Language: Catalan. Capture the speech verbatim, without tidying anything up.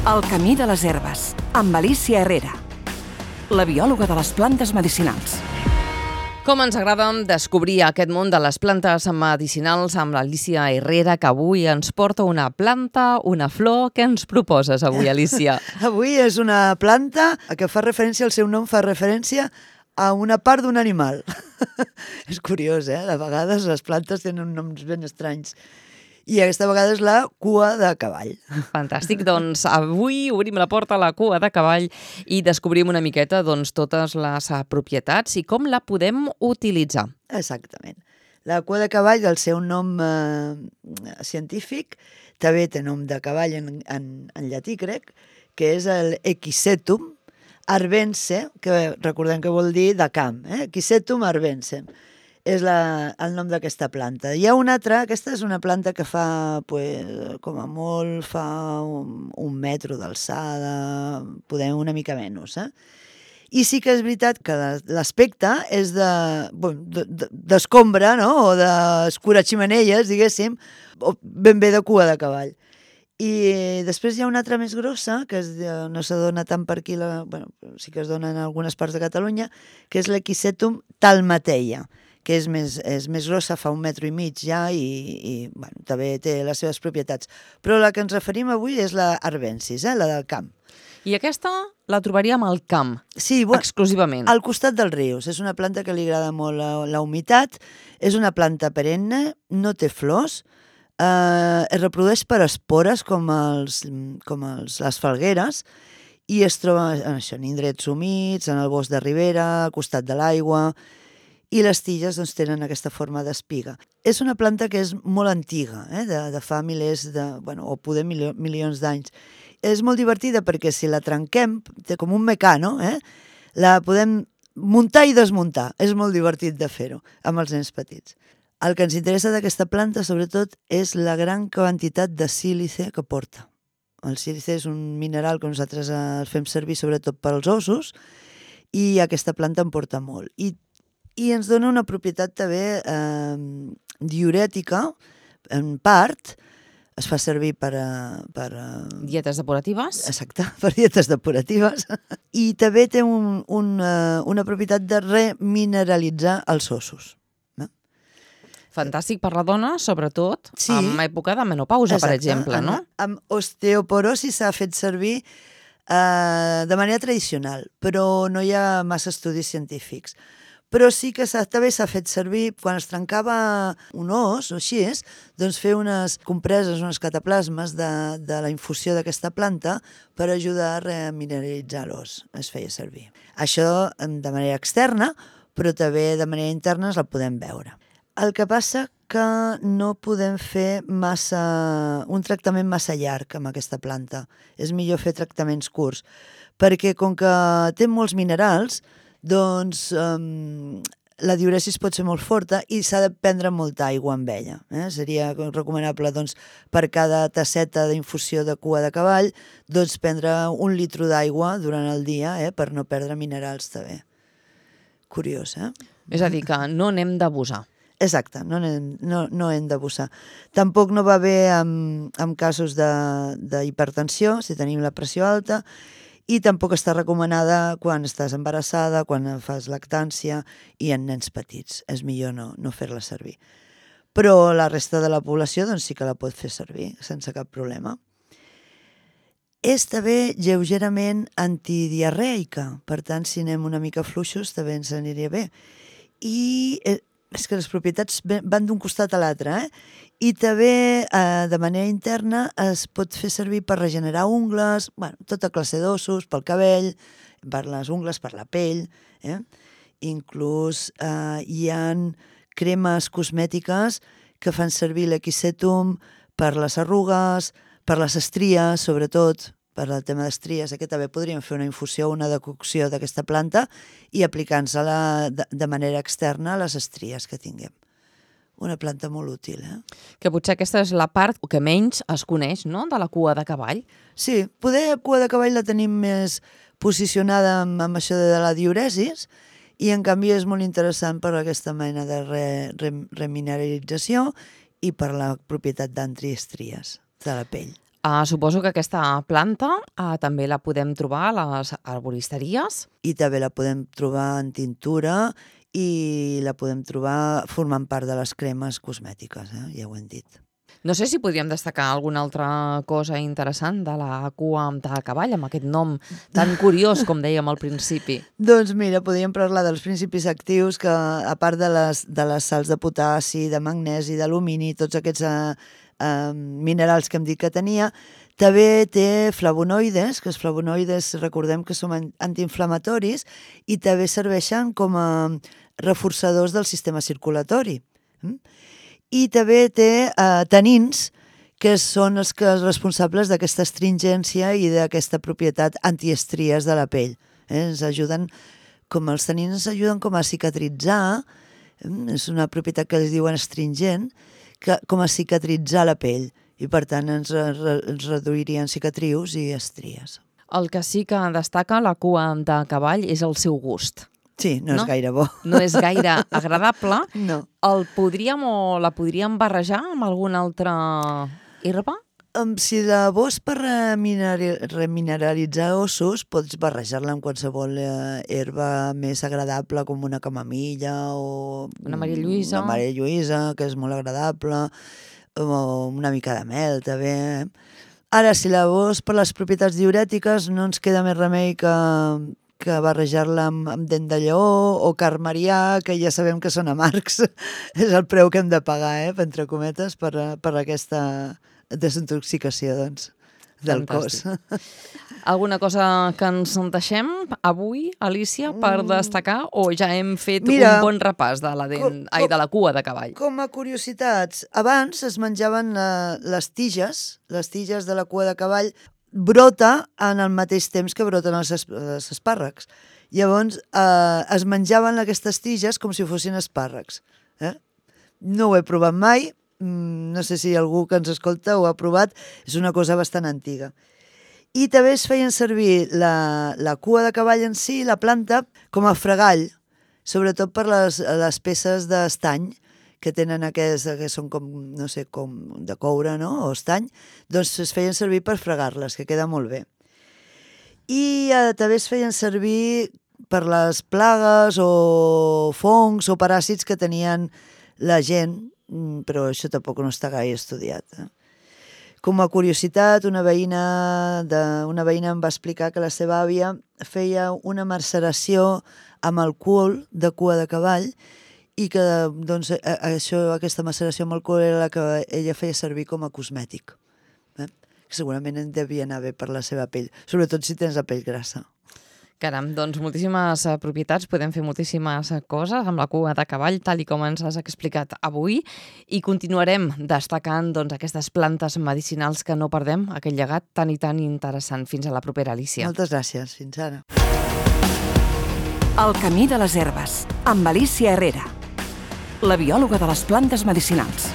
El camí de les herbes, amb Alicia Herrera, la biòloga de les plantes medicinals. Com ens agrada descobrir aquest món de les plantes medicinals amb l'Alicia Herrera, que avui ens porta una planta, una flor. Què ens proposes avui, Alicia? Avui és una planta que fa referència, el seu nom fa referència a una part d'un animal. És curiós, eh? De vegades les plantes tenen noms ben estranys. I aquesta vegada és la cua de cavall. Fantàstic, doncs avui obrim la porta a la cua de cavall i descobrim una miqueta doncs, totes les propietats i com la podem utilitzar. Exactament. La cua de cavall, el seu nom eh, científic, també té nom de cavall en, en, en llatí grec, que és el Equisetum arvense, que recordem que vol dir de camp, eh? Equisetum arvense. És la, el nom d'aquesta planta. Hi ha una altra, aquesta és una planta que fa, pues, com a molt, fa un, un metro d'alçada, podem una mica menys, eh? I sí que és veritat que l'aspecte és de, d'escombra, no?, o d'escuraximenelles, diguéssim, o ben bé de cua de cavall. I després hi ha una altra més grossa, que és, no se dona tant per aquí, la, bueno, sí que es dona en algunes parts de Catalunya, que és l'Equisetum talmateia, que és més, és més grossa, fa un metro i mig ja i, i bueno, també té les seves propietats. Però la que ens referim avui és la arvensis, eh, la del camp. I aquesta la trobaríem al camp, sí, bueno, exclusivament. Al costat dels rius. És una planta que li agrada molt la, la humitat, és una planta perenne, no té flors, eh, es reprodueix per espores com, els, com els, les falgueres i es troba en, això, en indrets humits, en el bosc de ribera, al costat de l'aigua, i les tiges doncs, tenen aquesta forma d'espiga. És una planta que és molt antiga, eh? de, de fa milers, de, bueno, o poder milio, milions d'anys. És molt divertida perquè si la trenquem, té com un mecano, eh? La podem muntar i desmuntar. És molt divertit de fer-ho amb els nens petits. El que ens interessa d'aquesta planta, sobretot, és la gran quantitat de sílice que porta. El sílice és un mineral que nosaltres el fem servir sobretot per als ossos i aquesta planta en porta molt. I I ens dona una propietat també eh, diurètica, en part, es fa servir per... per dietes depuratives? Exacte, per dietes depuratives. I també té un, un, una propietat de remineralitzar els ossos. No? Fantàstic per la dona, sobretot, sí, en època de menopausa, exacte, per exemple, no? Amb, amb osteoporosi s'ha fet servir eh, de manera tradicional, però no hi ha massa estudis científics. Però sí que també s'ha fet servir, quan es trencava un os o així, doncs fer unes compreses, unes cataplasmes de, de la infusió d'aquesta planta per ajudar a remineralitzar l'os. Es feia servir. Això de manera externa, però també de manera interna es la podem veure. El que passa que no podem fer massa, un tractament massa llarg amb aquesta planta. És millor fer tractaments curts, perquè com que té molts minerals, doncs um, la diuresis pot ser molt forta i s'ha de prendre molta aigua amb ella. Eh? Seria recomanable doncs, per cada tasseta d'infusió de cua de cavall doncs, prendre un litre d'aigua durant el dia eh? per no perdre minerals també. Curiós, eh? És a dir, que no n'hem d'abusar. Exacte, no hem, no, no hem d'abusar. Tampoc no va bé amb, amb casos d'hipertensió, si tenim la pressió alta, i tampoc està recomanada quan estàs embarassada, quan fas lactància i en nens petits. És millor no, no fer-la servir. Però la resta de la població doncs, sí que la pot fer servir sense cap problema. És també lleugerament antidiarreica, per tant, si anem una mica fluixos també ens aniria bé. I és que les propietats van d'un costat a l'altre, eh? I també, eh, de manera interna, es pot fer servir per regenerar ungles, bueno, tota classe d'ossos, pel cabell, per les ungles, per la pell. Eh? Inclús eh, hi ha cremes cosmètiques que fan servir l'Equisetum per les arrugues, per les estries, sobretot, per al tema d'estries. Aquí també podríem fer una infusió, una decocció d'aquesta planta i aplicar-nos-la de, de manera externa a les estries que tinguem. Una planta molt útil, eh? Que potser aquesta és la part que menys es coneix, no?, de la cua de cavall. Sí, poder la cua de cavall la tenim més posicionada amb, amb això de la diuresis i en canvi és molt interessant per aquesta mena de re, re, remineralització i per la propietat d'antiestries de la pell. Uh, suposo que aquesta planta uh, també la podem trobar a les arboristeries. I també la podem trobar en tintura i la podem trobar formant part de les cremes cosmètiques, eh? Ja ho hem dit. No sé si podríem destacar alguna altra cosa interessant de la cua de cavall, amb aquest nom tan curiós, com dèiem al principi. Doncs mira, podríem parlar dels principis actius que, a part de les, de les sals de potassi, de magnesi, d'alumini, tots aquests eh, eh, minerals que hem dit que tenia, també té flavonoides, que els flavonoides recordem que són antiinflamatoris i també serveixen com a reforçadors del sistema circulatori. I també té eh, tanins, que són els que els responsables d'aquesta astringència i d'aquesta propietat antiestries de la pell. Eh? Ens ajuden, com els tanins ens ajuden com a cicatritzar, és una propietat que els diuen astringent, que, com a cicatritzar la pell, i per tant ens, ens reduirien cicatrius i estries. El que sí que destaca la cua de cavall és el seu gust. Sí, no, no és gaire bo. No és gaire agradable. No. El podríem o la podríem barrejar amb alguna altra herba? Um, si la vols per remineralitzar ossos, pots barrejar-la amb qualsevol eh, herba més agradable, com una camamilla o... Una Maria Lluïsa. Una Maria Lluïsa, que és molt agradable, o una mica de mel, també. Ara, si la vols per les propietats diurètiques, no ens queda més remei que, que barrejar-la amb, amb dent de lleó o carmarià, que ja sabem que són amargs. És el preu que hem de pagar, eh, entre cometes, per, per aquesta desintoxicació, doncs, del Fantàstic. cos. Alguna cosa que ens deixem avui, Alicia, per destacar, o ja hem fet Mira, un bon repàs de la, dent, com, ai, de la cua de cavall? Com a curiositats, abans es menjaven la, les tiges, les tiges de la cua de cavall, brota en el mateix temps que broten els, es, els espàrrecs. Llavors, eh, es menjaven aquestes tiges com si fossin espàrrecs. Eh? No ho he provat mai, no sé si algú que ens escolta ho ha provat, és una cosa bastant antiga. I també es feien servir la, la cua de cavall en si, la planta, com a fregall, sobretot per les, les peces d'estany, que tenen aquests, que són com, no sé, com de coure, no?, o estany, doncs es feien servir per fregar-les, que queda molt bé. I eh, també es feien servir per les plagues o fongs o paràsits que tenien la gent, però això tampoc no està gaire estudiat. Eh? Com a curiositat, una veïna, de, una veïna em va explicar que la seva àvia feia una maceració amb alcohol de cua de cavall i que doncs, això, aquesta maceració amb alcohol era la que ella feia servir com a cosmètic. Eh? Segurament en devia anar bé per la seva pell, sobretot si tens la pell grassa. Caram, doncs moltíssimes uh, propietats, podem fer moltíssimes uh, coses amb la cua de cavall, tal i com ens has explicat avui, i continuarem destacant doncs, aquestes plantes medicinals que no perdem, aquest llegat tan i tan interessant. Fins a la propera, Alicia. Moltes gràcies, fins ara. El camí de les herbes, amb Alicia Herrera, la biòloga de les plantes medicinals.